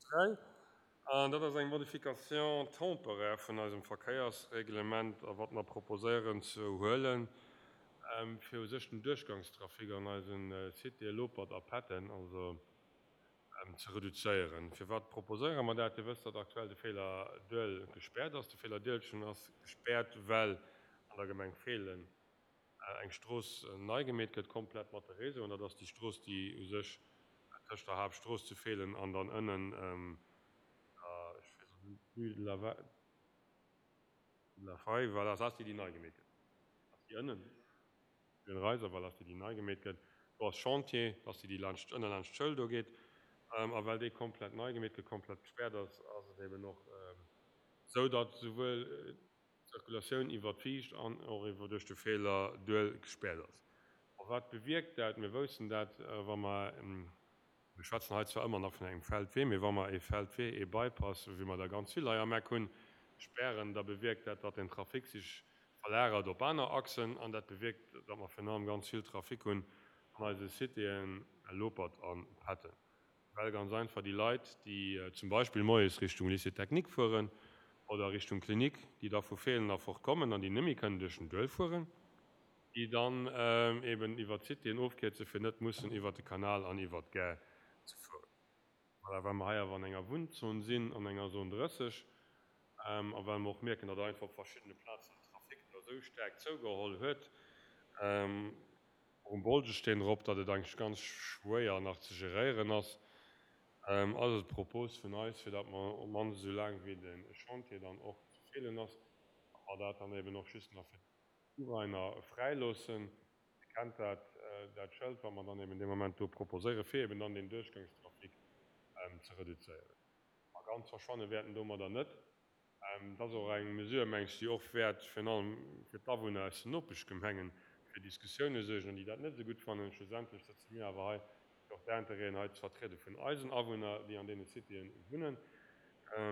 3. An dat ass eng Modification temporaire vun eisem Verkéiersreglement, a wat mer proposéieren ze huelen, fir u sech den Duerchgangstrafic an eise Citéë Lopert a Petten also ze reduzéieren. Firwat proposéiere mer dat? Dir wësst, datt aktuell de Feeler Duel gespäert ass. De Feeler Dielchen ass gespäert, well an der Gemeng Feelen eng Strooss nei gemeet gëtt, komplett mat de Réseauen. Dat ass déi Strooss, déi u sech tëscht der Haaptstrooss zu Feelen an dann ënnen der, ech weess elo net, Rue de la de la Faye, voilà, dat ass déi, déi nei gemeet gëtt. Dat ass déi ënnen, Rue Reiser, voilà, ass déi, déi nei gemeet gëtt. Do ass Chantier, dat ass déi, déi laanscht, ënne laanscht d'Schoul do geet. A well déi komplett nei gemeet gëtt, komplett gespäert ass, ass et eben och esou, datt souwuel d'Zirkulatioun iwwer d'Viischt an och iwwer duerch de Feeler Duel gespäert ass. A wat bewierkt dat? Mir woussten dat, wa mer, mir schwätzen hei zwar ëmmer nach vun engem Feldwee, mee wa mer ee Feldwee, ee Bypass, wéi mer der ganz vill hei am Eck hunn, spären, da bewierkt dat, datt den Trafic sech verlagert op aner Achsen an dat bewierkt, datt mer virun allem ganz vill Trafic hunn an eise Citéen Lopert a Petten. Well ganz einfach déi Leit, déi zum Beispill moies Richtung Lycée technique fueren oder Richtung Klinik, déi da vu Feelen erfort kommen an déi net méi kënnen duerch den Duel fueren, déi dann eben iwwert d'Citéen ofkierzen, fir net mussen iwwert de Kanal an iwwert d'Gare ze fueren. Voilà, well mer hei awer an enger Wunnzon sinn, an enger Zone 30, a well mer och mierken, datt einfach op verschiddene Plazen den Trafic do esou staark zougeholl huet, och um Bolzesteen erop, datt et eigentlech ganz schwéier nach ze geréieren ass, ass et d'Propos vun eis, fir datt mer op d'mannst esou laang wéi de Chantier dann och ze feelen ass, datt mer dat dann eben och just nach fir d'Urainer fräiloossen. Dir kennt dat, dat Schëld, wat mer dann eben dee Moment do proposéieren, fir eben dann deen Duerchgangstrafic ze reduzéieren. A ganz verschwanne wäert en domadder net. Dat ass och eng Mesure, meng ech, déi och wäert virun allem fir d'Awunner aus den Nopeschgemengen fir Diskussioune suergen an déi dat net esou gutt fannen. Schlussendlech sëtze mir awer hei, fir och d'Intérêten hei ze vertriede vun eisen Awunner, déi an deene Citéen wunnen.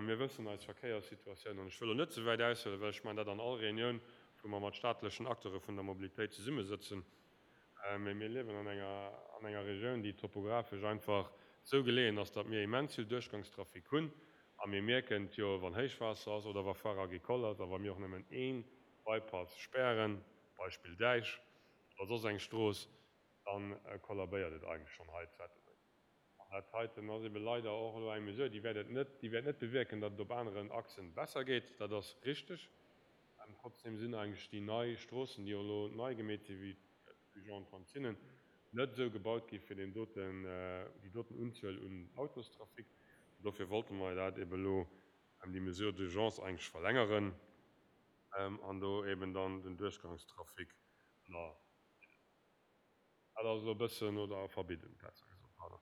Mir wëssen eis Verkéierssituatioun, an ech wëll elo net ze wäit aushuelen, well ech maachen dat an all Reunioun, wou mer mat staatlechen Acteure vun der Mobilitéit zesummesëtzen, mee mir liewen an enger, an enger Regioun, déi topographesch einfach esou geleeën ass, datt mir immens vill Duerchgangstrafic hunn. A mir mierken et jo, wann Héichwaasser ass oder wa Foire agricole ass a wa mir och nëmmen ee Bypass spären, Beispill Däich oder soss eng Strooss, da kollabéiert et eigentlech schonn hei zu Ettelbréck. An dat heiten ass ebe leider och elo eng Mesure, déi wäert et net, déi wäert net bewierken, datt et op aneren Achsen besser geet, dat ass richteg. Trotzdem sinn eigentlech déi nei Stroossen, déi och elo nei gemeet sinn, wéi d'Rue Jean-Antoine Zinnen, net esou gebaut gi fir deen doten, déi doten Unzuel un Autostrafic. An dofir wollte mer dat ebe elo, déi Mesure d'urgence eigentlech verlängeren an do eben dann den Duerchgangstrafic ënnerbidden. Dat ass elo e bëssen, oder verbidden, besser gesot, pardon.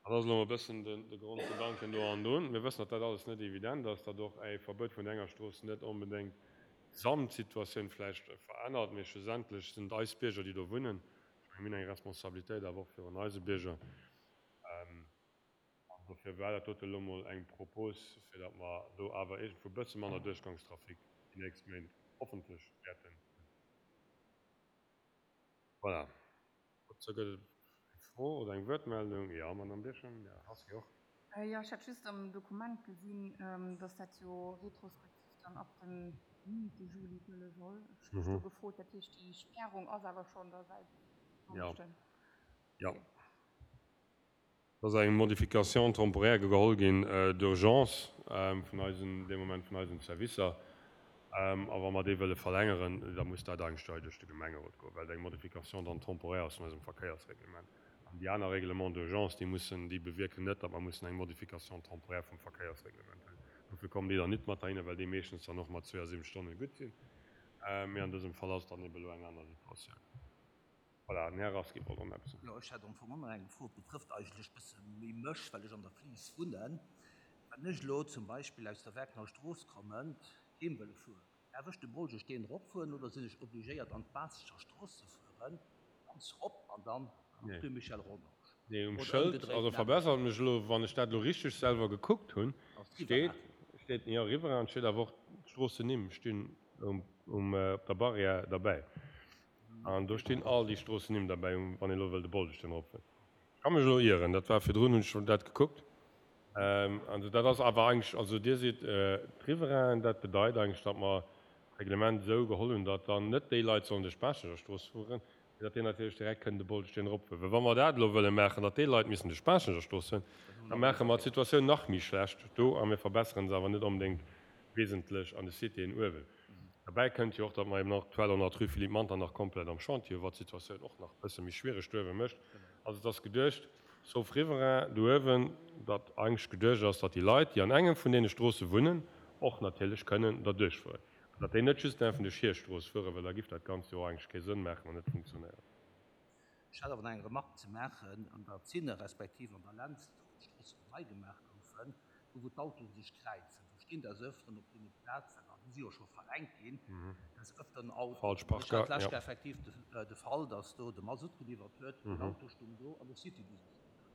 Dat ass elo e bëssen de Grondgedanken do an drun. Mir wëssen, datt dat alles net evident ass, datt och e Verbuet vun enger Strooss net onbedéngt d'Gesamtsituatioun vläicht verännert, mee schlussendlech sinn et eis Bierger, déi do wunnen. Ech menge mir hunn eng Responsabilitéit awer och virun eise Bierger. An dofir war dat dote elo mol eng Propos, fir datt mer do awer iergendwou e bësse manner Duerchgangstrafic déi nächst Méint hoffentlech wäerten hunn. Voilà. Dozou gëtt et eng Fro oder eng Wuertmeldung. Jo, Madamm Birchen, Här Rasqui och. Jo, ech hat just am Dokument gesinn, dass dat jo retrospektiv dann ab dem 9 Juli gëlle soll. Ech hu mech do gefrot, dat heescht, déi Spärung ass awer schonn da säit Donneschden? Jo. Et ass eng Modification temporaire geholl ginn d'urgence vun eisen, dee Moment vun eisen Servicer. A wa mer déi wëlle verlängeren, da muss dat eigentlech hei duerch de Gemengerot goen, well et eng Modification dann temporaire ass vun eisem Verkéiersreglement. An déi aner Règlements d'urgence, déi mussen, déi bewierken net, datt mer mussen eng Modification temporaire vum Verkéiersreglement hunn. Dofir kommen déi dann nit mat heihinner, well déi meeschtens dann och mat 72 Stonne gutt sinn. Mee an dësem Fall ass et dann ebe elo eng aner Situatioun. Voilà, den Här Rasqui wollt och nach eppes soen. Jo, ech hätt am Fong och nach eng Fro. Et betrëfft eigentlech e bësse méi mech, well ech an der Fliis wunnen. Wann ech elo zum Beispill aus der Werkner Strooss kommend heem wëlle fueren, däerf ech de Bolgesteen eropfueren oder sinn ech obligéiert an d'Baassecher Strooss ze fueren, ganz rop an dann an d'Rue Michel Rodange? Nee, um Schëld, also verbessert mech elo, wann ech dat elo richteg selwer gekuckt hunn, steet, steet, jo, Riverain, et steet awer och, d'Stroossennimm stinn um, op der Barrière derbäi. An do stinn all déi Stroossennimm derbäi, wann een elo wëll de Bolgesteen eropfueren. Ech ka mech elo ieren, dat war virdrun, hunn ech dat gekuckt. Also dat ass awer eigentlech, also Dir sidd d'Riverainen, dat bedeit eigentlech, datt mer d'Reglement esou geholl hunn, datt dann net déi Leit sollen duerch d'Baaschtnecher Strooss fueren, mee datt déi natierlech direkt kënnen de Bolzsteen eropfueren. Well wa mer dat elo wëlle maachen, datt déi Leit missen duerch d'Baaschtnecher Strooss fueren, da maache mer d'Situatioun nach méi schlecht do a mir verbessere se awer net onbedéngt wesentlech an de Citéen uewen. Derbäi kënnt jo och, datt mer eben aktuell och nach d'Rue Philippe Manternach komplett am Chantier hu wat d'Situatioun och nach e bësse méi schwiereg do uewe mécht. Also et ass geduecht, sauf Riverain do uewen, datt eigentlech geduecht ass, datt déi Leit, déi an engem vun deene Stroosse wunnen, och natierlech kënnen derduerch fueren. An datt déi net just däerfen duerch hir Strooss fueren, well da giff dat Ganzt jo och eigentlech kee Sënn maachen an net funktionéieren. Ech hat awer nach eng Remarque ze maachen, An der Zinne respektiv an der Lentz, do wou d'Stroossen nei gemaach goufen, do wou d'Autoen sech kräizen, do stinn des Öfteren op deene Plazen, an déi si jo scho verrenkt ginn, des Öfteren Autoen. Falsch Ech hat Parker, d'lescht jo. Kéier effektiv de Fall, dass do de Masutt geliwwert huet, den Auto stung do an de Citybus ass gefuer.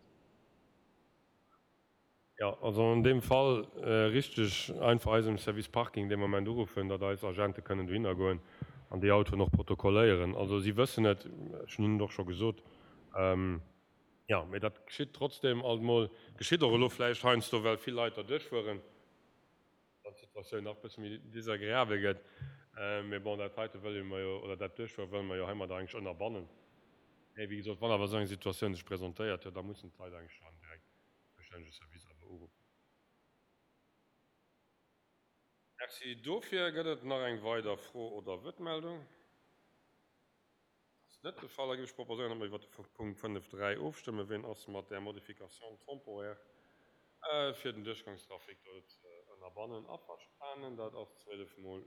Jo, also an deem Fall richteg einfach eisem Service Parking dee Moment uruffen, datt eis Agente kënnen dohinner goen an déi Autoen och protokolléieren. Also si wëssen et, ech hunn hinnen et och scho gesot. Jo, mee dat geschitt trotzdem alt mol, geschitt och elo vläicht heiansdo, well vill Leit derduerch fueren, datt d'Situatioun nach e bësse méi desagreabel gëtt. Mee bon, dat heite wëlle mer jo, oder dat Duerchfuere wëlle mer jo heimadder eigentlech ënnerbannen. Mee wéi gesot, wann awer esou eng Situatioun sech presentéiert, jo da mussen d'Leit eigentlech dann direkt zoustännege Service awer uruffen. Merci dofir. Gëtt et nach eng weider Fro oder Wuertmeldung? Dat ass net de Fall. Da géif ech proposéieren, datt mer iwwert de Punkt 5, 3 ofstëmmen. Wien ass mat där Modification temporaire fir den Duerchgangstrafic do ze ënnerbannen averstanen? Dat ass 12 mol.